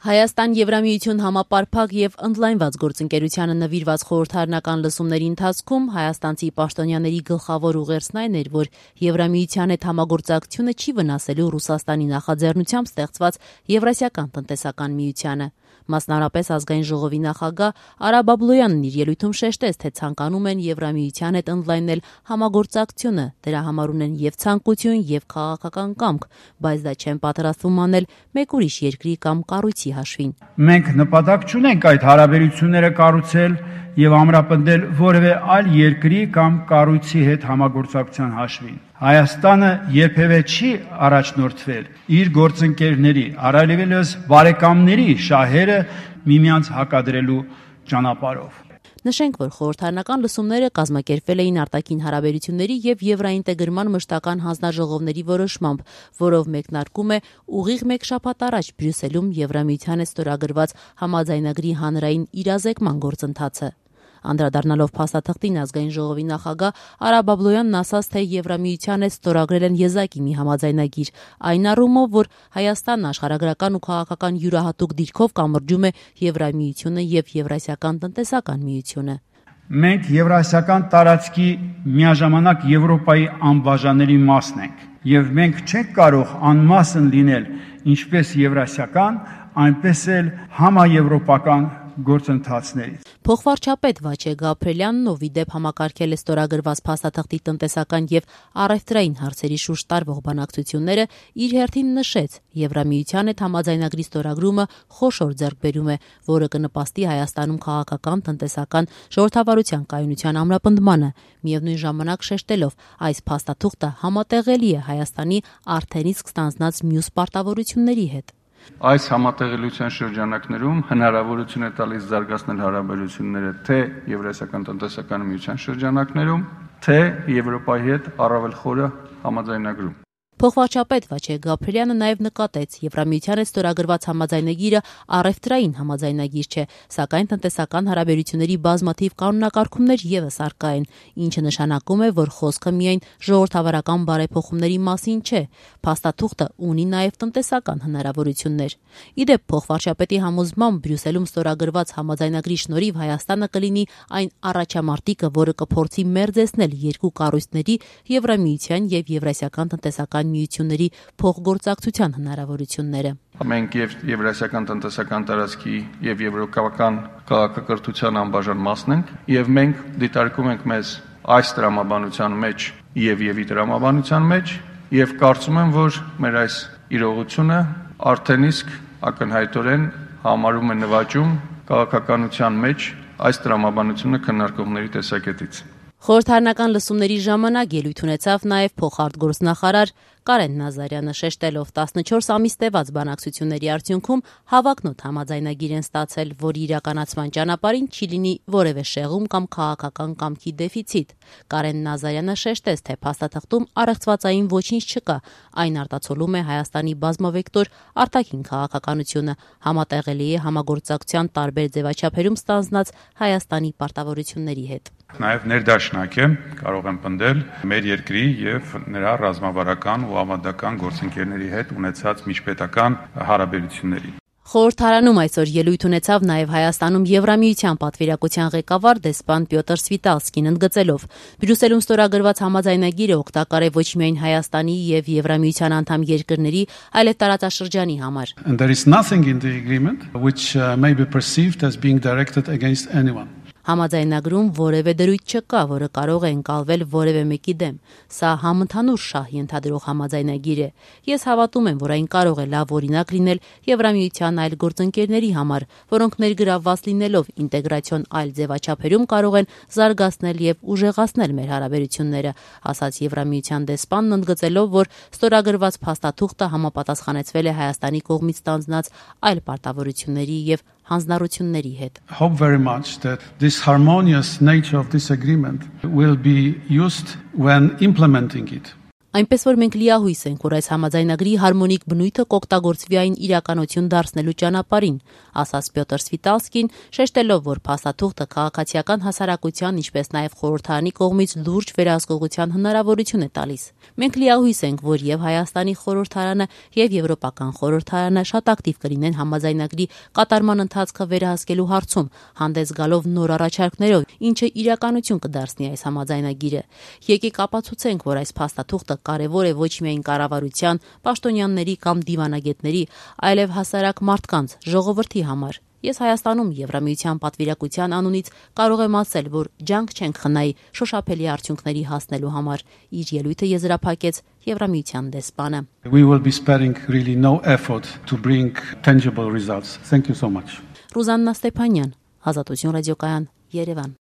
Հայաստան-Եվրամիություն համապարփակ եւ ընդլայնված գործընկերությանը նվիրված խորհրդարանական լսումների ընթացքում հայաստանցի պաշտոնյաների գլխավոր ուղերձն այն էր, որ Եվրամիության հետ համագործակցությունը չի վնասելու Ռուսաստանի նախաձեռնությամբ ստեղծված Եվրասիական տնտեսական միությանը։ Մասնարարպես ազգային ժողովի նախագահ Արա Բաբլոյանն իր ելույթում շեշտեց, թե ցանկանում են Եվրամիության հետ ընդլայնել համագործակցությունը, դրա համար ունեն եւ ցանկություն, եւ քաղաքական կամք, բայց դա չեն պատրաստվում անել մեկ ուրիշ երկրի կամ կառույցի հաշվին։ Մենք նպատակ չունենք այդ հարաբերությունները կառուցել եւ ամրապնդել որևէ այլ երկրի կամ կառույցի հետ համագործակցության հաշվին։ Հայաստանը երբևէ չի առաջնորդվել իր գործընկերների, առավելևս բարեկամների շահերը միմյանց հակադրելու ճանապարհով։ Նշենք, որ խորհրդարանական լսումները կազմակերպվել էին արտաքին հարաբերությունների եւ եվրաինտեգրման մշտական հանձնաժողովների որոշմամբ, որով մեկնարկում է ուղիղ մեկ շաբաթ առաջ Բրյուսելում Եվրամիության ստորագրված համաձայնագրի հանրային իրազեկման գործընթացը։ Անդրադառնալով փաստաթղթին ազգային ժողովի նախագահ Արա Բաբլոյանն ասաց, թե Եվրամիության հետ ստորագրել են եզակի մի համաձայնագիր, այն առումով, որ Հայաստանն աշխարհագրական ու քաղաքական յուրահատուկ դիրքով կամրջում է Եվրամիությունը եւ Եվրասիական տնտեսական միությունը։ Մենք Եվրասիական տարածքի միաժամանակ Եվրոպայի անբաժանելի մասն ենք, եւ մենք չենք կարող անմասն լինել ինչպես Եվրասիական, այնպես էլ համաեվրոպական գործընթացներից։ Փոխվարչապետ Վաչե Գաբրելյանն, ով ի դեպ համակարգել է ստորագրված փաստաթղթի տնտեսական եւ առևտրային հարցերի շուրջ տարվող բանակցությունները, իր հերթին նշեց, Եվրամիության հետ համաձայնագրի ստորագրումը խոշոր ձեռքբերում է, որը կնպաստի Հայաստանում քաղաքական, տնտեսական ժողովրդավարության կայունության ամրապնդմանը, միևնույն ժամանակ շեշտելով, այս փաստաթուղթը համատեղելի է Հայաստանի արդեն իսկ ստանձնած մյուս պարտավորությունների հետ։ Այս համատեղելիության շրջանակներում հնարավորություն է տալիս զարգացնել հարաբերությունները թե Եվրասիական տնտեսական միության շրջանակներում, թե Եվրոպայի հետ առավել խորը համաձայնագրում։ Փոխվարչապետ Վաչե Գաբրելյանը նաև նկատեց, Եվրամիության հետ ստորագրված համաձայնագիրը առևտրային համաձայնագիր չէ, սակայն տնտեսական հարաբերությունների բազմաթիվ կանոնակարգումներ ևս առկա են, ինչը նշանակում է, որ խոսքը միայն ժողովրդավարական բարեփոխումների մասին չէ, փաստաթուղթը ունի նաև տնտեսական հնարավորություններ։ Ի դեպ, փոխվարչապետի համոզմամբ Բրյուսելում ստորագրված համաձայնագրի շնորհիվ Հայաստանը կլինի այն առաջամարտիկը, որը կփորձի մերձեցնել երկու կառույցների Եվրամիության եւ Եվրասիական տնտեսական միությունների փոխգործակցության հնարավորությունները։ Մենք եւ Եվրասիական տնտեսական տարածքի եւ եվրոպական քաղաքակրթության անբաժան մասն ենք եւ մենք դիտարկում ենք մեզ այս տրամաբանության մեջ եւ տրամաբանության մեջ եւ կարծում եմ, որ մեր այս իրողությունը արդեն իսկ ակնհայտորեն համարում է նվաճում քաղաքականության մեջ այս տրամաբանությունը քննարկողների տեսակետից։ Խորհրդարանական լսումների ժամանակ ելույթ ունեցավ նաև փոխարտգործնախարար Կարեն Նազարյանը, շեշտելով 14 ամիս տևած բանակցությունների արդյունքում հավակնոտ համաձայնագիր են ստացել, որի իրականացման ճանապարհին չի լինի որևէ շեղում կամ քաղաքական կամքի դեֆիցիտ։ Կարեն Նազարյանը շեշտեց, թե փաստաթղթում առեղծվածային ոչինչ չկա, այն արտացոլում է Հայաստանի բազմավեկտոր արտաքին քաղաքականությունը, համատեղելի է համագործակցության տարբեր ձևաչափերում ստանձնած Հայաստանի պարտավորությունների հետ։ Նաև ներդաշնակ է, կարող եմ պնդել մեր երկրի եւ նրա ռազմավարական ու ավանդական գործընկերների հետ ունեցած միջպետական հարաբերությունների։ Խորհրդարանում այսօր ելույթ ունեցավ նաև Հայաստանում Եվրամիության պատվիրակության ղեկավար դեսպան Պյոտր Սվիտալսկին, ընդգծելով. Բրյուսելում ստորագրված համաձայնագիրը օգտակար է ոչ միայն Հայաստանի եւ Եվրամիության անդամ երկրների, այլև տարածաշրջանի համար։ And there is nothing in the agreement which may be perceived as being directed against anyone. Համաձայնագրում որևէ դրույթ չկա, որը կարող է ընկալվել որևէ մեկի դեմ։ Սա համընդհանուր շահ ենթադրող համաձայնագիր է։ Ես հավատում եմ, որ այն կարող է լավ օրինակ լինել Եվրամիության այլ գործընկերների համար, որոնք ներգրավված լինելով ինտեգրացիոն այլ ձևաչափերում կարող են զարգացնել եւ ուժեղացնել մեր հարաբերությունները, ասաց Եվրամիության դեսպանն, ընդգծելով, որ ստորագրված փաստաթուղթը համապատասխանեցվել է Հայաստանի կողմից ստանձնած այլ պարտավորությունների եւ հանձնառությունների հետ։ Hope very much that this harmonious nature of this agreement will be used when implementing it. Այնպես որ մենք լիահույս ենք, որ այս համաձայնագրի հարմոնիկ բնույթը կօգտագործվի այն իրականություն դարձնելու ճանապարհին, ասաց Պյոտր Սվիտալսկին, շեշտելով, որ փաստաթուղթը քաղաքացիական հասարակության, ինչպես նաև խորհրդարանի կողմից լուրջ վերահսկողության հնարավորություն է տալիս։ Մենք լիահույս ենք, որ եւ Հայաստանի խորհրդարանը եւ Եվրոպական խորհրդարանը շատ ակտիվ կլինեն համաձայնագրի կատարման ընթացքը վերահսկելու հարցում, հանդես գալով նոր առաջարկներով, ինչը իրականություն կդարձնի այս համաձայնագիրը։ Եկեք ապացուցենք, որ այս փաստաթուղթը կարևոր է ոչ միայն կառավարության, պաշտոնյաների կամ դիվանագետների, այլև հասարակ մարդկանց, ժողովրդի համար։ Ես Հայաստանում Եվրամիության պատվիրակության անունից կարող եմ ասել, որ ջանք չենք խնայի շոշափելի արդյունքների հասնելու համար, իր ելույթը եզրափակեց Եվրամիության դեսպանը։ We will be sparing really no effort to bring tangible results. Thank you so much. Ռուզաննա Ստեփանյան, Ազատություն ռադիոկայան, Երևան։